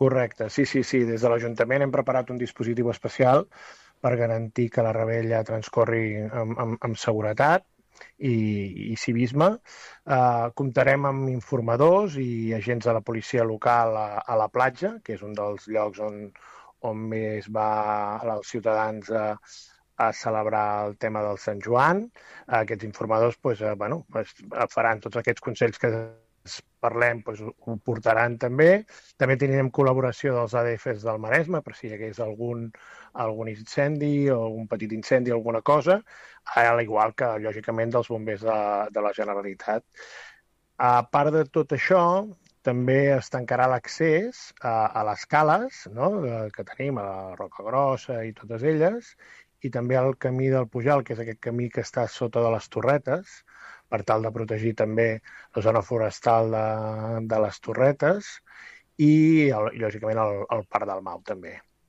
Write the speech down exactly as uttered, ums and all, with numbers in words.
Correcte, sí, sí, sí. Des de l'Ajuntament hem preparat un dispositiu especial per garantir que la revetlla transcorri amb, amb, amb seguretat i, i civisme. Uh, comptarem amb informadors i agents de la policia local a, a la platja, que és un dels llocs on, on més va els ciutadans a, a celebrar el tema del Sant Joan. Uh, aquests informadors pues, uh, bueno, pues, faran tots aquests consells que parlem, doncs, ho portaran també. També tenim col·laboració dels A D Fs del Maresme, per si hi hagués algun, algun incendi o un petit incendi, alguna cosa, al igual que, lògicament, dels bombers de, de la Generalitat. A part de tot això, també es tancarà l'accés a, a les cales, no?, que tenim a la Roca Grossa i totes elles, i també al camí del Pujal, que és aquest camí que està sota de les Torretes, per tal de protegir també la zona forestal de, de les Torretes i, el, lògicament, el, el Parc del Mau també.